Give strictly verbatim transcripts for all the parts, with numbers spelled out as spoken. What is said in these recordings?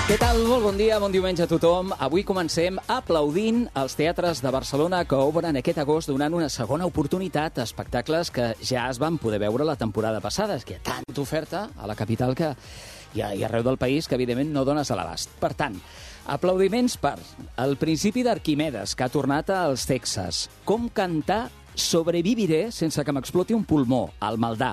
Què tal? Molt bon dia, bon diumenge a tothom. Avui comencem aplaudint els teatres de Barcelona que obren aquest agost donant una segona oportunitat a espectacles que ja es van poder veure la temporada passada. És que hi ha tanta oferta a la capital que hi ha, hi ha arreu del país que, evidentment, no dones a l'abast. Per tant, aplaudiments per El principi d'Arquimedes, que ha tornat als Texas. Com cantar Sobreviviré sense que m'exploti un pulmó, al Maldà.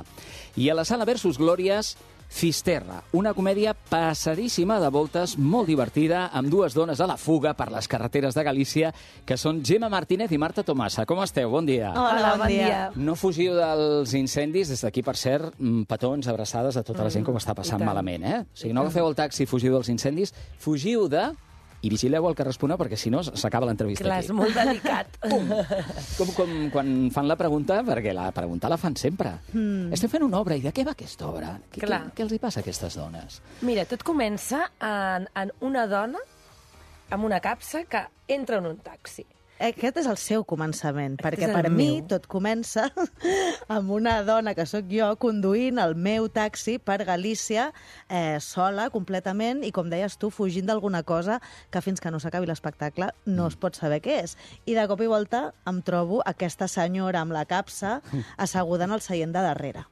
I a la sala Versus Glòries, Fisterra, una comèdia passadíssima de voltes, molt divertida, amb dues dones a la fuga per les carreteres de Galícia, que són Gemma Martínez i Marta Tomasa. Com esteu? Bon dia. Hola, bon dia. No fugiu dels incendis. Des d'aquí, per cert, petons, abraçades a tota la gent que ho està passant malament, eh? O sigui, no agafeu el taxi i fugiu dels incendis, fugiu de... i vigileu el que respondrà, perquè si no s'acaba l'entrevista aquí. Clar, és molt delicat. Com, com quan fan la pregunta, perquè la pregunta la fan sempre. Mm. Estem fent una obra, i de què va aquesta obra? Què, què, què els hi passa a aquestes dones? Mira, tot comença en, en una dona amb una capsa que entra en un taxi. Aquest és el seu començament, Aquest perquè és per el mi meu. tot comença amb una dona que sóc jo conduint el meu taxi per Galícia eh, sola, completament, i com deies tu, fugint d'alguna cosa que fins que no s'acabi l'espectacle no es pot saber què és. I de cop i volta em trobo aquesta senyora amb la capsa asseguda en el seient de darrere.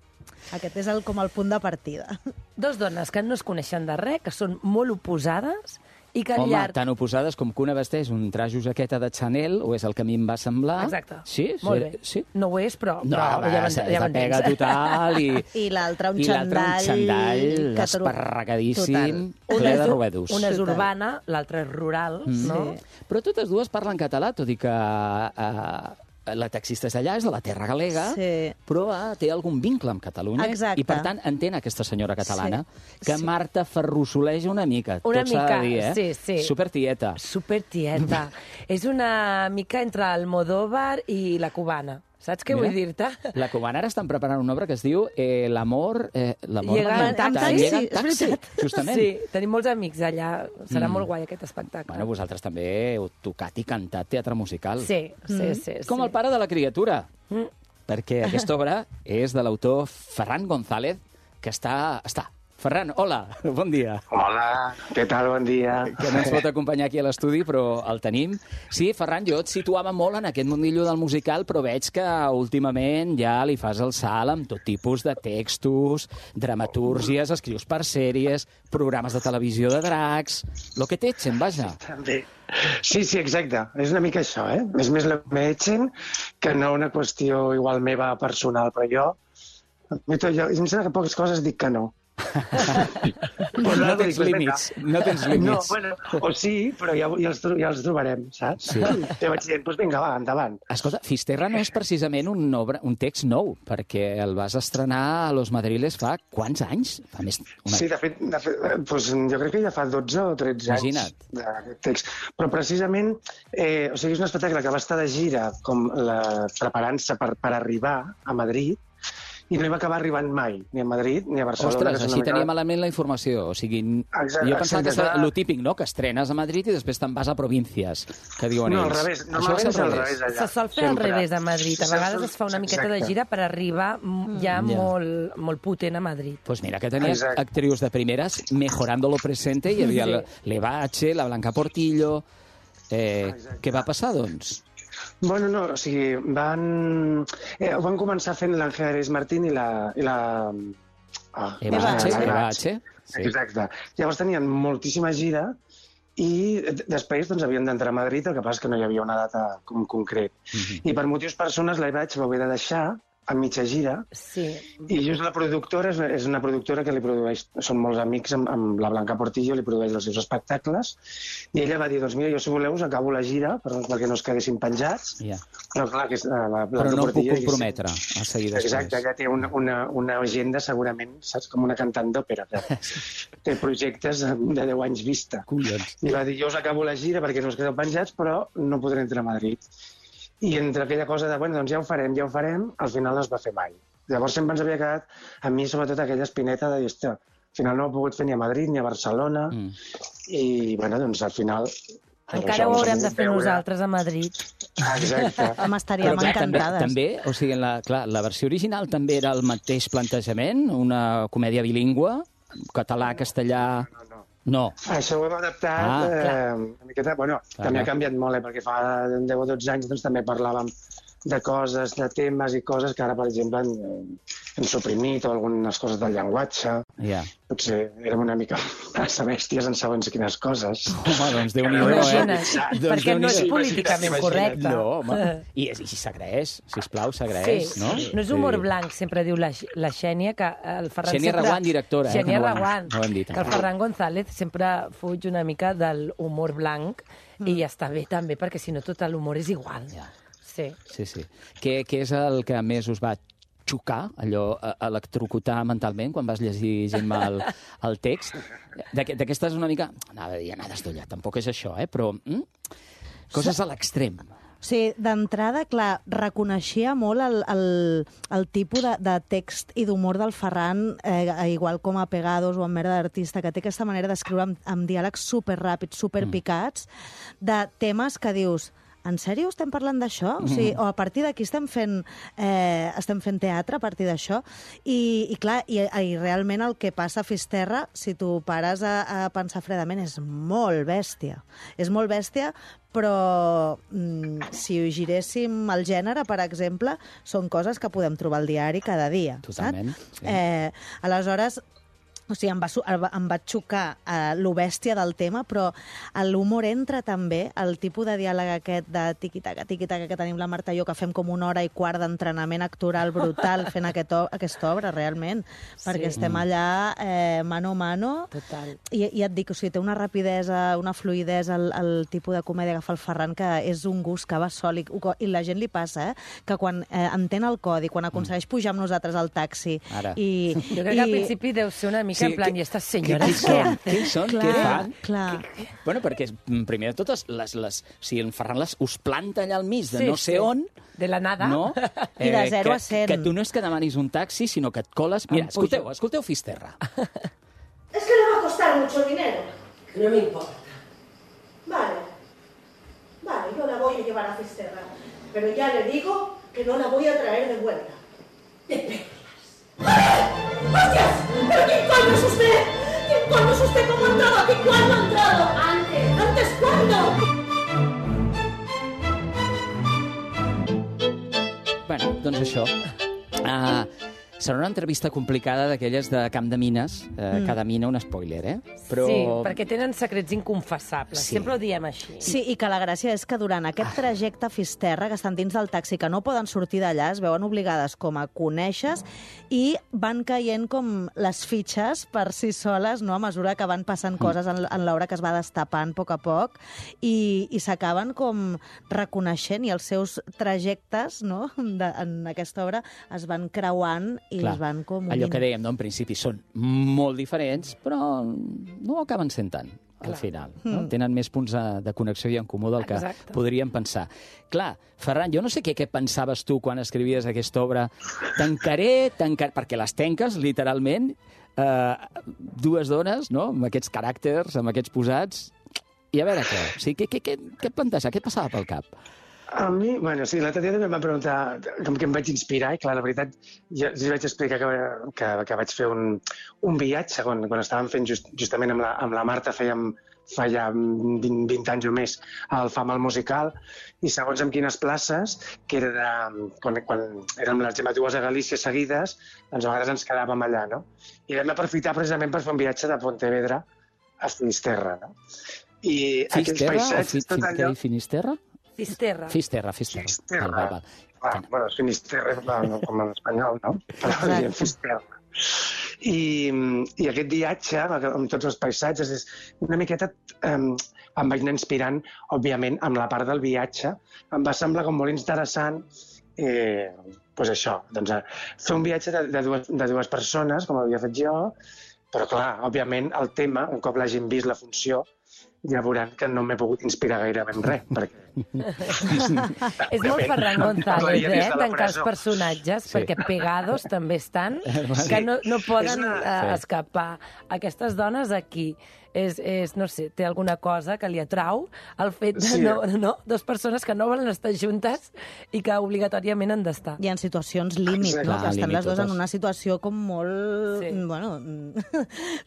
Aquest és el, com el punt de partida. Dos dones que no es coneixen de res, que són molt oposades, i que al Home, llarg... tan oposades com que una vesteix un trajo jaqueta de Chanel, o és el que a mi em va semblar. Exacte. Sí? Molt sí, bé. Sí? No ho és, però, No, però va, ja ja, ja ja pega total. I, I l'altre un i l'altre un xandall... xandall que tro- esparragadíssim, Total. ple de robedos. Una és Total. urbana, l'altra és rural, Mm. no? Sí. Però totes dues parlen català, tot i que eh, la taxista és d'allà, és de la terra galega, Sí. però eh, té algun vincle amb Catalunya. Exacte. I, per tant, entén aquesta senyora catalana, Sí. que Sí. Marta ferrussoleja una mica. Una tot s'ha mica, de dir, eh? sí, sí. Supertieta. Super tieta. És una mica entre Almodóvar i la cubana. Saps què Mira, vull dir-te? La cubana ara estan preparant una obra que es diu eh, L'amor... Eh, l'amor Llega va en cantar, taxi. Llega en Sí, és taxi, veritat. justament. Sí, tenim molts amics allà. Serà Mm. molt guai aquest espectacle. Bueno, vosaltres també heu tocat i cantat teatre musical. Sí, sí, Mm. sí. Com sí. el pare de la criatura. Mm. Perquè aquesta obra és de l'autor Ferran González, que està... està. Ferran, hola, bon dia. Hola, què tal? Bon dia. Que no ens pot acompanyar aquí a l'estudi, però el tenim. Sí, Ferran, jo et situava molt en aquest mundillo del musical, però veig que últimament ja li fas el salt amb tot tipus de textos, dramatúrgies, escrius per sèries, programes de televisió de dracs... Lo que t'etxen, vaja. També. Sí, sí, exacte. És una mica això, eh? És més la m'etxen que no una qüestió igual meva personal, però jo... jo, jo em sembla que poques coses dic que no. No, no tens límits, no tens No, límits. bueno, o sí, però ja, ja, els, tro- ja els trobarem, saps? Sí. Ja vaig dient, doncs vinga, va, endavant. Escolta, Fisterra no és precisament un, obra, un text nou, perquè el vas estrenar a Los Madriles fa quants anys? Fa més... Una... Sí, de fet, de fet eh, doncs, jo crec que ja fa dotze o tretze Imagina't. anys d'aquest text. Però precisament, eh, o sigui, és un espectacle que va estar de gira com la, preparant-se per, per arribar a Madrid, i no hi va acabar arribant mai, ni a Madrid ni a Barcelona. Ostres, que és així una mica- teníem malament la informació. O sigui, Exacte, jo pensava que és exacte. lo típic, no?, que estrenes a Madrid i després te'n vas a províncies, que diuen No, al ells. revés. Això Normalment és al revés, allà. Se sol fer al sempre. revés a Madrid. A Se vegades sol- es fa una miqueta de exacte. gira per arribar mm, ja Ja. molt, molt potent a Madrid. Pues mira, que tenia Exacte. actrius de primeres mejorando lo presente, hi havia Sí. l'Evache, la Blanca Portillo... Eh, Exacte. què va passar, doncs? Bueno, no, o sigui, van, eh, van començar fent l'Àngel Ares Martín i la... I la ah, Evache, la- la- Evache. Sí. Exacte. Llavors tenien moltíssima gira i d- després doncs, havien d'entrar a Madrid, el que passa és que no hi havia una data com concret. Mhm. I per motius personals la vaig haver de deixar a mitja gira, Sí. i just la productora és una, és una productora que li produeix, són molts amics amb, amb la Blanca Portillo, li produeix els seus espectacles, i ella va dir, doncs mira, jo si voleu us acabo la gira per, perquè no es quedessin penjats, Ja. però clar, que és, la, la Però Blanca no em puc Portillo... comprometre a seguir després. Exacte, ella té una, una, una agenda segurament, saps, com una cantant d'òpera, que té projectes de deu anys vista. Collons. I va dir, jo us acabo la gira perquè no us quedeu penjats, però no podré entrar a Madrid. I entre aquella cosa de, bueno, doncs ja ho farem, ja ho farem, al final no es va fer mai. Llavors sempre ens havia quedat, a mi sobretot aquella espineta de dir, hòstia, al final no ho he pogut fer ni a Madrid ni a Barcelona, Mm. i bueno, doncs al final... Encara ho haurem de fer nosaltres a Madrid. Ah, exacte. Home, estaríem Però clar, també, encantades. també, o sigui, en la, clar, la versió original també era el mateix plantejament, una comèdia bilingüe, català, castellà... No, no. No. Això ho hem adaptat Ah, eh, una miqueta. Bueno, Clar, també clar. ha canviat molt, eh, perquè fa deu o dotze anys doncs, també parlàvem de coses, de temes i coses que ara, per exemple, hem, hem suprimit, o algunes coses del llenguatge. Ja. Potser érem una mica massa bèsties en segons quines coses. Home, doncs Déu-n'hi-do, eh? Imagina't, Doncs perquè no és Déu-n'hi-do. políticament Imagina't. correcte. No, home. I, i s'agraeix, sisplau, s'agraeix, Sí, no? no és humor blanc, sempre diu la, la Xènia, que el Ferran Xènia sempre... Reguant, directora, eh, Xènia que no ho hem- Reguant, no ho hem dit que el encara. Ferran González sempre fuig una mica del humor blanc Mm. i ja està bé també, perquè si no tot l'humor és igual. Ja. Sí. Sí, sí. Què, què és el que més us va xocar, allò, e- electrocutar mentalment, quan vas llegir-me el, el text? D'aqu- D'aquestes una mica... Anava a dir anades d'olla, tampoc és això, eh? Però mm? coses a l'extrem. O sigui, d'entrada, clar, reconeixia molt el, el, el tipus de, de text i d'humor del Ferran, eh, igual com a Pegados o en Merda d'Artista, que té aquesta manera d'escriure amb, amb diàlegs superràpids, superpicats, de temes que dius... En sèrio estem parlant d'això? O sigui, o a partir d'aquí estem fent, eh, estem fent teatre a partir d'això? I, I clar, i, i realment el que passa a Fisterra, si tu pares a, a pensar fredament, és molt bèstia. És molt bèstia, però mm, si ho giréssim al gènere, per exemple, són coses que podem trobar al diari cada dia. Totalment, saps? sí. Eh, aleshores, o sigui, em va, su- em va xocar eh, lo bèstia del tema, però l'humor entra també, el tipus de diàleg aquest de tiqui-taca, tiqui-taca que tenim la Marta i jo, que fem com una hora i quart d'entrenament actoral brutal fent aquest, o- aquesta obra, realment, perquè Sí. estem allà eh, mano a mano. Total. I, I et dic, o sigui, té una rapidesa, una fluïdesa, el, el tipus de comèdia que fa el Ferran, que és un gust que va sol, i, i la gent li passa, eh? Que quan eh, entén el codi, quan aconsegueix pujar amb nosaltres al taxi... Ara. I, Jo crec que al principi deu ser una mica Sí, en plan, que- i estas Què, senyores qui què són? hacen? Què són? Clar, Què fan? clar. Bueno, perquè, mm, primer de totes, les, les, si en Ferran les, us planta allà al mig de Sí, no sé sí. on... De la nada. No? I de zero que, a cent. Que tu no és que demanis un taxi, sinó que et coles... Mira, Em pujo. escolteu, escolteu Fisterra. Es que le va a costar mucho dinero. No me importa. Vale. Vale, yo la voy a llevar a Fisterra. Pero ya le digo que no la voy a traer de vuelta. Te perlas. ¡Hostias! ¿Pero quién coño es usted? ¿Quién coño es usted? ¿Cómo ha entrado aquí? ¿Cuándo ha entrado? Antes. ¿Antes cuándo? Bueno, doncs això. Uh, serà una entrevista complicada d'aquelles de Camp de Mines. Uh, mm. Cada mina un spoiler, eh? Però... Sí, perquè tenen secrets inconfessables. Sí. Sempre ho diem així. Sí, i que la gràcia és que durant aquest trajecte a Fisterra, que estan dins del taxi, que no poden sortir d'allà, es veuen obligades com a conèixer i van caient com les fitxes per si soles, no?, a mesura que van passant coses en, en l'obra que es va destapant a poc a poc i, i s'acaben com reconeixent i els seus trajectes, no?, de, en aquesta obra es van creuant i Clar, es van com allò unint. que dèiem, no? En principi són molt diferents, però no acaben sent tant al Clar. final. No? Tenen més punts de, de connexió i en comú del que Exacte. podríem pensar. Clar, Ferran, jo no sé què, què pensaves tu quan escrivies aquesta obra. Tancaré, tancaré... Perquè les tanques, literalment, eh, dues dones, no?, amb aquests caràcters, amb aquests posats... I a veure què? O sigui, què, què, què, què et planteja? Què et passava pel cap? A mi, bueno, sí, l'altre dia també em van preguntar com que em vaig inspirar, i clar, la veritat, jo els vaig explicar que, que, que vaig fer un, un viatge quan, quan estàvem fent just, justament amb la, amb la Marta, fèiem fa ja vint, vint anys o més el FAM al musical, i segons en quines places, que era de, quan, quan érem les dues a Galícia seguides, doncs a vegades ens quedàvem allà, no? I vam aprofitar precisament per fer un viatge de Pontevedra a Finisterra, no? I aquells Fisterra o paisatges, fi, tot fi, allò... Finisterra? Fisterra. Fisterra, Fisterra. Fisterra. Val, val, val. Ah, bueno, és Finisterra, no, com en espanyol, no? Però Exacte. diem Fisterra. I, I aquest viatge, amb tots els paisatges, és una miqueta... Um, em vaig anar inspirant, òbviament, amb la part del viatge. Em va semblar com molt interessant eh, pues això, doncs, fer un viatge de, de, dues, de dues persones, com havia fet jo, però clar, òbviament, el tema, un cop l'hagin vist la funció, ja veuran que no m'he pogut inspirar gaire ben res, perquè... És molt Ferran González, eh, tancar els personatges, Sí. perquè pegados també estan, que no, no poden una- eh, Sí. escapar. Aquestes dones aquí, és, és, no sé, té alguna cosa que li atrau el fet de Sí. no, no, dues persones que no volen estar juntes i que obligatòriament han d'estar. Hi ha situacions límit, Exacte. no? Clar, Que estan límit les dues en totes. una situació com molt... Sí. Bueno,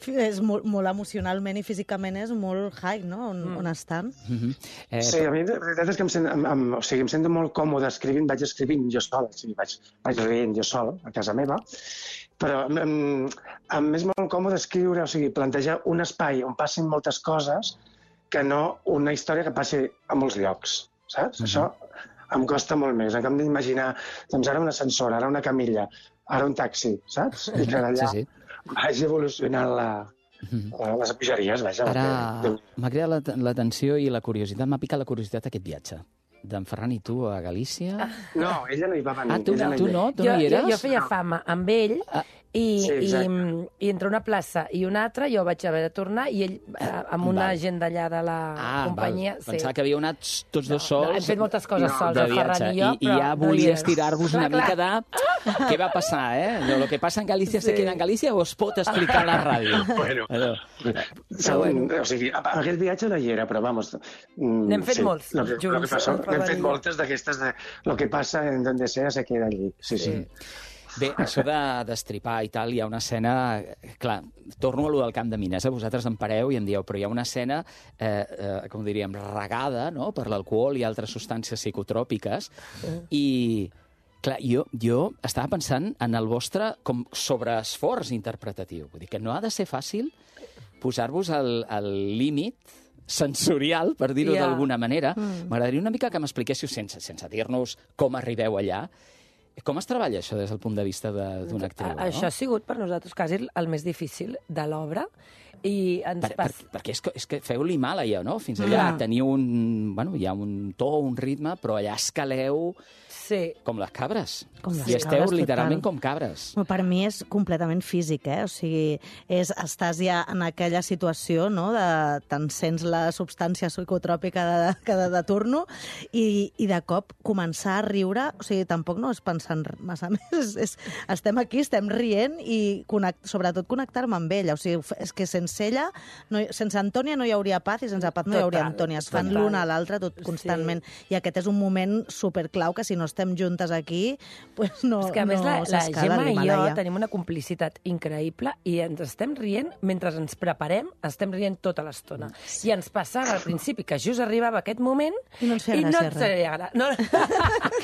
és molt, molt emocionalment i físicament és molt high, no? On, Mm. on estan. Mhm. Eh, Sí, a mi la veritat és que em, sent, em, em, o sigui, em sento molt còmode escrivint, vaig escrivint jo sol, o sigui, vaig, vaig rient jo sol a casa meva, però em, em és molt còmode escriure, o sigui, plantejar un espai on passin moltes coses que no una història que passi a molts llocs, saps? Mhm. Això em costa molt més. En canvi d'imaginar, doncs ara un ascensor, ara una camilla, ara un taxi, saps? I que d'allà Sí, sí. vagi evolucionant la, la, les pujaries, vaja. Ara perquè- m'ha cridat la- l'atenció i la curiositat, m'ha picat la curiositat aquest viatge d'en Ferran i tu a Galícia. No, ella no hi va venir. Ah, tu, ella no hi tu ve. no? Tu Jo, no hi jo, eres? jo feia fama amb ell Ah. i, Sí, i, exacte. i entre una plaça i una altra jo vaig haver de tornar i ell eh, amb una Val. gent d'allà de la Ah, companyia... val. Pensava que havíeu anat tots dos sols. No, hem fet moltes coses No, sols, de el Ferran viatge. i jo, I, i però ja no hi volies és. tirar-vos una Clar, mica de... Què va passar, eh? Allò, lo que passa en Galícia se Sí. queda en Galícia o es pot explicar a la ràdio? Bueno. Allò. Segon, o sigui, a- a- aquest viatge no hi era, però vamos... mm, N'hem fet sí, molts, lo que, lo que junts, passa, el Ferran N'hem fet i jo. moltes d'aquestes de lo que passa en donde sea se queda allí. Sí, sí. Sí. Bé, això de destripar i tal, hi ha una escena... Clar, torno a lo del camp de mines, eh? Vosaltres em pareu i em dieu, però hi ha una escena, eh, eh, com diríem, regada, no?, per l'alcohol i altres substàncies psicotròpiques, i... Clar, jo, jo estava pensant en el vostre com sobreesforç interpretatiu. Vull dir que no ha de ser fàcil posar-vos al, al límit sensorial, per dir-ho Ja. d'alguna manera. M'agradaria una mica que m'expliquéssiu, sense, sense dir-nos com arribeu allà, com es treballa això des del punt de vista de- d'una actriu? A- Això ha sigut per nosaltres quasi el més difícil de l'obra i ens Per, per, pas... perquè és que, és que feu l'Himàlaia, no? Fins allà Mm. teniu un... Bueno, hi ha un to, un ritme, però allà escaleu Sí. com les cabres. Com les I esteu cabres, literalment total. com cabres. Bueno, per mi és completament físic, eh? O sigui, és, estàs ja en aquella situació, no?, de te'n sents la substància psicotròpica de, que de, de turno i, i de cop començar a riure, o sigui, tampoc no és pensant massa més, és, és, estem aquí, estem rient i connect, sobretot connectar-me amb ella, o sigui, és que sense ella, no, hi- sense Antònia no hi hauria paz i sense paz no hi hauria Total, Antònia, es fan total. l'una a l'altra tot constantment, i aquest és un moment superclau que si no estem juntes aquí, pues no, És que a més no la, la s'escala Gemma i jo l'Himàlaia. tenim una complicitat increïble i ens estem rient, mentre ens preparem, estem rient tota l'estona. I ens passava al principi que just arribava aquest moment I no ens feia i no gràcia ens res. feia gra- no,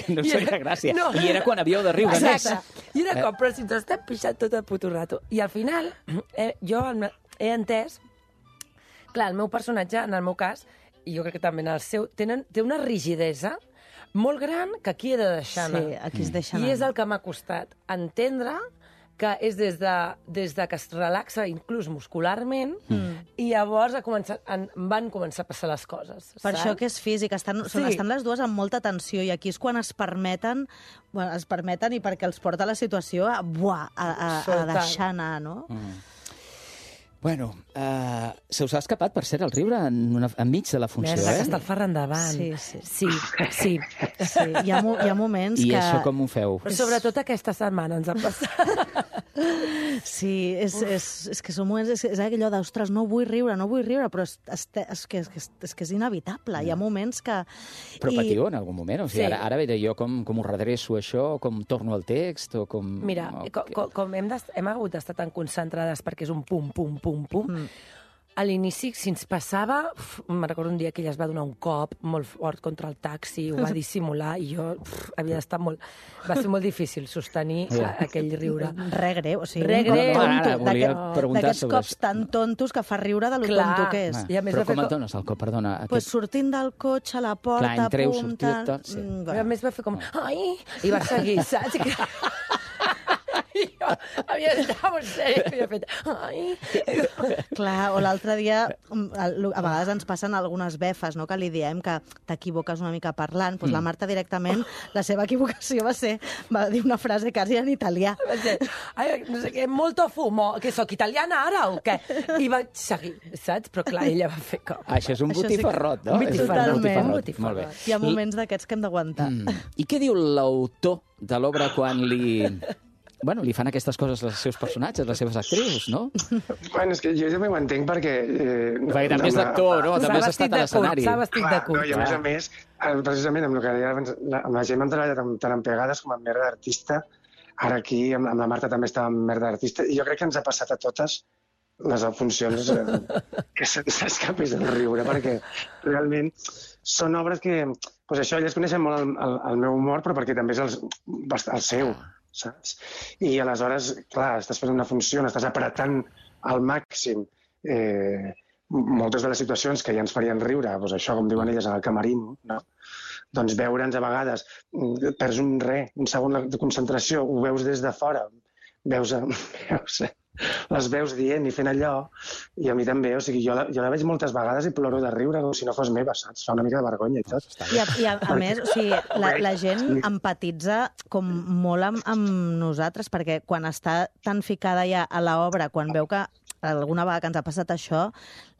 Que no us I feia era- gràcia. no. I era quan havíeu de riure més. Exacte. I era com, però si ens estem pixant tot el puto rato. I al final, eh, jo he entès... Clar, el meu personatge, en el meu cas, i jo crec que també en el seu, tenen, té una rigidesa molt gran que aquí he de deixar anar. Sí, aquí es deixa anar. I és el que m'ha costat entendre que és des de, des de que es relaxa inclús muscularment mm. i llavors ha començat, en, van començar a passar les coses. Per saps? això que és físic, estan, sí. Sí. estan les dues amb molta tensió i aquí és quan es permeten, bueno, es permeten i perquè els porta la situació a, buah, a, a, a Total. deixar anar, no? Mm. Bueno, uh, se us ha escapat, per cert, el riure en una, enmig de la funció, Merda, que eh? està el Ferran davant. Sí, sí. Sí, sí. Sí, hi ha, mo hi ha moments I que... això com ho feu? Però sobretot aquesta setmana ens ha passat. Sí, és, és, és que són moments... És, és allò d'ostres, no vull riure, no vull riure, però és, és, és, que, és, que, és que és inevitable. Hi ha moments que... Però i- patiu en algun moment? O sigui, Sí. ara, ara veure jo com, com ho redreço això, com torno al text, o com... Mira, o com, què? com, com hem, hem hagut d'estar tan concentrades perquè és un pum, pum, pum, pum, mm. a l'inici, si ens passava, uf, me'n recordo un dia que ella es va donar un cop molt fort contra el taxi, ho va dissimular, i jo uf, havia d'estar molt... Va ser molt difícil sostenir Ja. a, aquell riure. Re greu, o sigui, Re un cop greu. tonto, Ara volia d'aquest- preguntar d'aquests sobre cops això. tan tontos que fa riure de lo Clar. tonto que és. Ah, I a més però va fer com et com- dones el cop? Perdona. Pues Aquest... sortint del cotxe a la porta, Clar, entreu, pum, sortiu, tal, tot, sí. mm, I a bueno. més va fer com... Ai! I va seguir, saps? I jo Havia estat molt sèrio, havia fet... Ai. Clar, o l'altre dia, a vegades ens passen algunes befes, no?, que li diem que t'equivoques una mica parlant. Doncs mm. la Marta directament, la seva equivocació va ser, va dir una frase quasi en italià. Va ser, ai, no sé què, molto fumo, que sóc italiana ara o què? I vaig seguir, saps? Però clar, ella va fer com... Això és un botifarrot, no? Un botifarrot. Totalment. Molt bé. Hi ha moments d'aquests que hem d'aguantar. Mm. I què diu l'autor de l'obra quan li... Bueno, li fan aquestes coses als seus personatges, les seves actrius, no? Bueno, és que jo també ho entenc perquè... Eh, perquè també és d'actor, no? També has estat a l'escenari. S'ha vestit de curt. No, I a més a més, precisament amb el que deia abans, amb la gent hem treballat tant en Pegades com en Merda d'Artista. Ara aquí, amb, amb la Marta també estava en Merda d'Artista. I jo crec que ens ha passat a totes les funcions eh, que se'ns escapés el riure, perquè realment són obres que... Pues això, elles coneixen molt el, el, el meu humor, però perquè també és el, el seu, saps? I aleshores, clar, estàs fent una funció, estàs apretant al màxim eh, moltes de les situacions que ja ens farien riure, doncs això, com diuen elles, en el camarín, no? Doncs veure'ns a vegades, perds un re, un segon de concentració, ho veus des de fora, veus, veus les veus dient i fent allò, i a mi també, o sigui, jo la, jo la veig moltes vegades i ploro de riure com si no fos meva, saps? Fa una mica de vergonya i tot. I a, i a, a més, o sigui, la, la gent empatitza com molt amb, amb nosaltres, perquè quan està tan ficada ja a l'obra, quan veu que alguna vegada que ens ha passat això,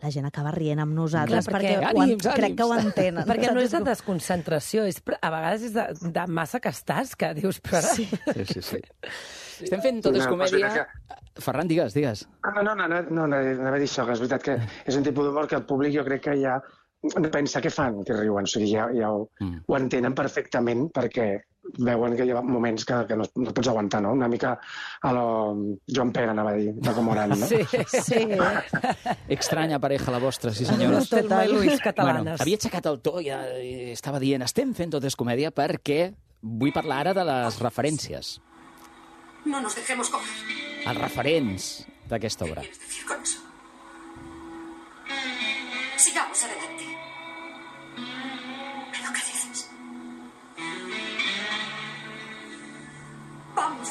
la gent acaba rient amb nosaltres, clar, perquè, perquè ho, ànims, crec ànims. que ho entenen. Perquè no és de desconcentració, és, a vegades és de, de massa que estàs, que dius, però... Sí, sí, sí. sí. Estem fent tot és comèdia... Ferran, digues, digues. No, no, no, no, no, no, anava a dir això, que és veritat que és un tipus d'humor que el públic jo crec que ja pensa què fan, que riuen, o sigui, ja, ja ho, mm. ho entenen perfectament perquè veuen que hi ha moments que, que no, no pots aguantar, no? Una mica a lo Joan Pere, anava a dir, de com oran, no? Sí, sí. Estranya pareja la vostra, sí senyores. Telma i Luis catalanes. Bueno, havia aixecat el to i, i estava dient estem fent tot és comèdia perquè vull parlar ara de les referències. No nos dejemos coger. Els referents d'aquesta obra. ¿Qué quieres decir con eso? Sigamos adelante. ¿Pero qué dices? Vamos.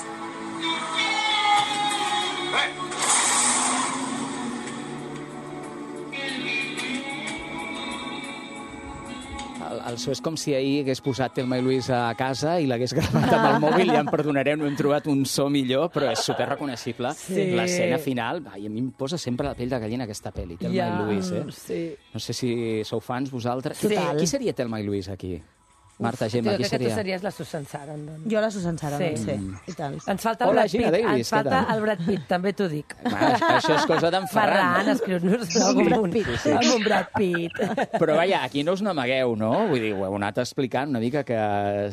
El, el so és com si ahir hagués posat Telma i Luis a casa i l'hagués gravat amb el mòbil. Ja em perdonareu, no hem trobat un so millor, però és superreconeixible. Sí. L'escena final, ai, a mi em posa sempre la pell de gallina aquesta pel·li, Telma Ja, i Luis. Eh? sí. No sé si sou fans vosaltres. Total. Qui seria Telma i Luis aquí? Marta, Gemma, Jo qui crec que tu seria? series la Susan Sarandon. Jo la Susan Sarandon, Sí. sí. Mm. I tant. Ens falta el Hola, Brad Gina Pitt, Davis, ens què falta tal? el Brad Pitt, també t'ho dic. Ah, això és cosa d'en Ferran. Ferran, escriu-nos amb, un, amb un Brad Pitt. Però vaja, aquí no us n'amagueu, no? Vull dir, ho heu anat explicant una mica que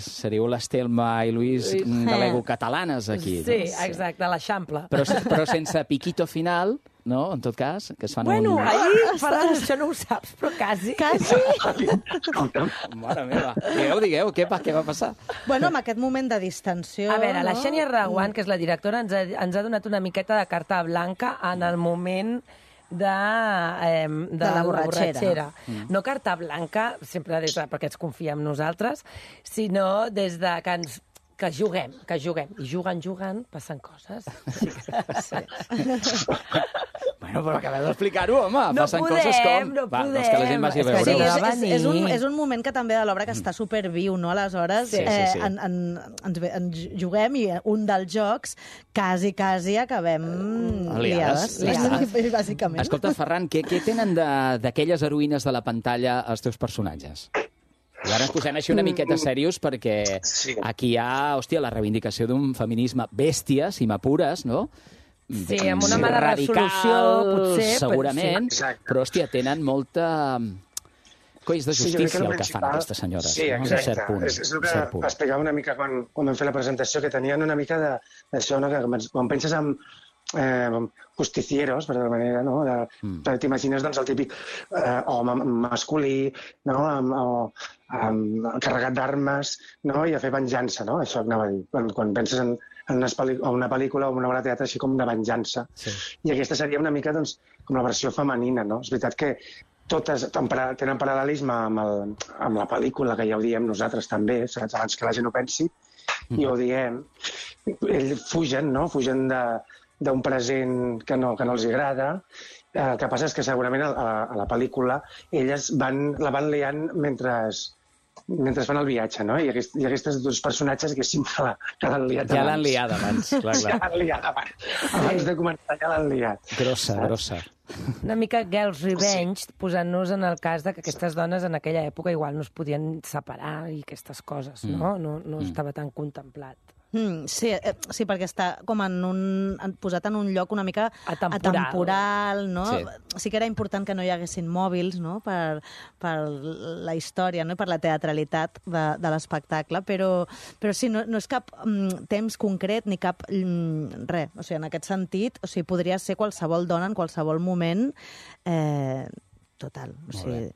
seríeu les Telma i Luis de l'ego catalanes aquí. Sí, no? exacte, a l'Eixample. Però, però sense piquito final, no? En tot cas, que es fan Bueno, un... ahir, Ferran, això no ho saps, però quasi. Quasi. Mare meva. Digueu, digueu, què, va, què va passar? Bueno, amb aquest moment de distensió... A veure, la no? Xènia Reguant, que és la directora, ens ha, ens ha donat una miqueta de carta blanca en el moment de, eh, de, De la borratxera. borratxera. Mm. No carta blanca, sempre des de, perquè ens confia en nosaltres, sinó des de que ens que juguem, que juguem. I jugant, jugant, passen coses. Sí, sí. Bueno, però acabeu d'explicar-ho, home. No Passen podem, coses com... no Va, doncs que la gent vagi a podem. És veure-ho. que Sí, no és, va és, és, un, venir. és un moment que també de l'obra que està superviu, no? Aleshores, Sí, sí, eh, sí. en, en, ens, ve- ens juguem i un dels jocs quasi, quasi acabem Liades, liades, liades. bàsicament. Escolta, Ferran, què, què tenen de- d'aquelles heroïnes de la pantalla els teus personatges? I ara ens posem així una miqueta serios perquè Sí. aquí hi ha, hòstia, la reivindicació d'un feminisme bèstia, si m'apures, no? Sí, amb una Sí, mala radical, resolució, potser, però segurament, sí. Exacte. però, hòstia, tenen molta... Colls de Sí, jo crec justícia el el que fan principal- aquestes senyores. Sí, no? Fins exacte. a cert punt. És, és el que cert punt. explicava una mica quan, quan vam fer la presentació, que tenien una mica de- d'això, no? Que quan penses en eh, justicieros, per alguna manera, no? De, Mm. T'imagines doncs, el típic eh, home masculí, no? Amb, o, amb, carregat d'armes, no? I a fer venjança, no? Això anava a dir. Quan, quan penses en, en una, pel·li, o una pel·lícula o una obra de teatre així com de venjança. Sí. I aquesta seria una mica doncs, com la versió femenina, no? És veritat que totes tenen paral·lelisme amb, el, amb la pel·lícula, que ja ho diem nosaltres també, saps? Abans que la gent ho pensi, i ho diem, ells fugen, no? Fugen d'un present que no, que no els agrada. El que passa és que segurament a, a la pel·lícula elles van, la van liant mentre, mentre fan el viatge, no? I, aquest, i aquests dos personatges haguéssim que l'han liat abans. Ja l'han liat abans, clar, clar. Ja l'han liat abans. Abans de començar ja l'han liat. Grossa, Saps? grossa. Una mica Girls' Revenge, posant-nos en el cas de que aquestes dones en aquella època igual no es podien separar i aquestes coses, no? No, no estava tan contemplat. Mm, sí, eh, sí, perquè està com en un, en, posat en un lloc una mica Atemporal, atemporal, no? Sí. Sí que era important que no hi haguessin mòbils, no?, per, per la història, no?, i per la teatralitat de, de l'espectacle, però, però sí, no, no és cap mm, temps concret ni cap mm, res. O sigui, en aquest sentit, o sigui, podria ser qualsevol dona en qualsevol moment, eh, total. O sigui...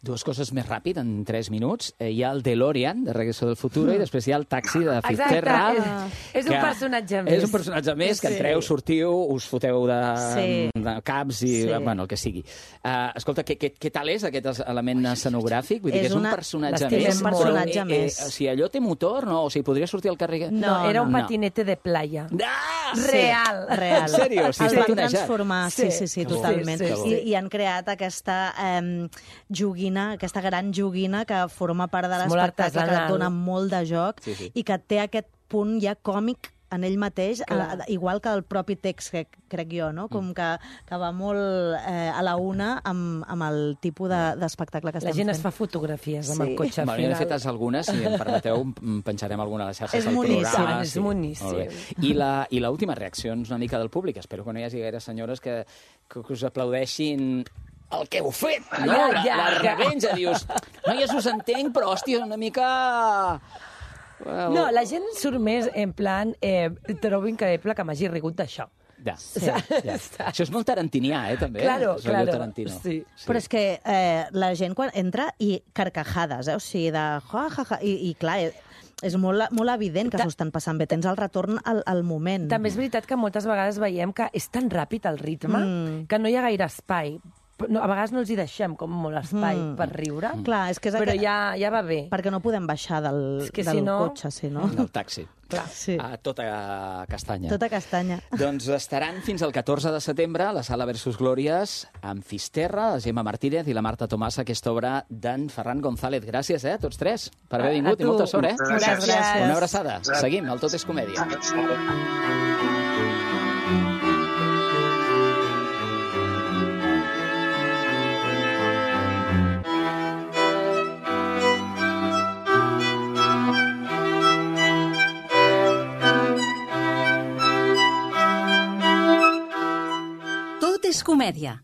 Dues coses més ràpid, en tres minuts. Eh, hi ha el DeLorean, de Regreso del Futuro, i després hi ha el taxi de Fitzgerald. Exacte, és, és un personatge més. És un personatge més, que entreu, sortiu, us foteu de, Sí. de caps i, Sí. bueno, el que sigui. Uh, escolta, què, què, què tal és aquest element escenogràfic? Vull dir És que és un una- personatge l'estimem més. un personatge però, eh, més. Eh, o sigui, allò té motor, no? O sigui, podria sortir al carrer... No, No, era un no. patinete de playa. Ah! Real. Real. En sèrio? O sigui, el està van tunejat. transformar, sí, Sí. sí, sí, Que bo. totalment. Sí, sí, I, sí. I han creat aquesta eh, joguina, aquesta gran joguina que forma part de És molt l'espectacle, que artesanal. dona molt de joc Sí, sí. i que té aquest punt ja còmic en ell mateix, a la, igual que el propi text, que crec jo, no? Com que, que va molt eh, a la una amb, amb el tipus de- d'espectacle que La estem gent fent. es fa fotografies amb Sí. el cotxe al Bueno, jo n'he final. fet algunes, si em permeteu, em penjarem alguna a les xarxes És del boníssim. programa. És boníssim. Molt bé. I la- I l'última reacció és una mica del públic. Espero que no hi hagi gaire senyores que, que, que us aplaudeixin el que heu fet, no? Ja, la, ja, la ja. revenja, dius, noies, us entenc, però, hòstia, una mica... Well, No, la gent surt més en plan, eh, trobo increïble que m'hagi rigut d'això. Ja, Sí. ja. Això és molt tarantinià, eh, també. Claro, És rotllo claro. Tarantino. Sí. Però és que eh, la gent quan entra i carcajades, eh? O sigui, de ja, ja, ja, i, i clar, eh, és molt, molt evident que Ta- s'ho estan passant bé. Tens el retorn al, al moment. També és veritat que moltes vegades veiem que és tan ràpid el ritme Mm. que no hi ha gaire espai. No, a vegades no els hi deixem com molt espai Mm. per riure, Clar, és que és però aquest- ja, ja va bé. Perquè no podem baixar del, És que del si no- cotxe, si no. Del taxi. Clar. Sí. A tota castanya. Tota castanya. Doncs estaran fins al catorze de setembre a la Sala Versus Glòries amb Fisterra, la Gemma Martínez i la Marta Tomàs, aquesta obra d'en Ferran González. Gràcies, eh, a tots tres, per haver A- a vingut i tu. molta sort, eh? Moltes gràcies. Una abraçada. Seguim, el Tot és Comèdia. Tot és comèdia,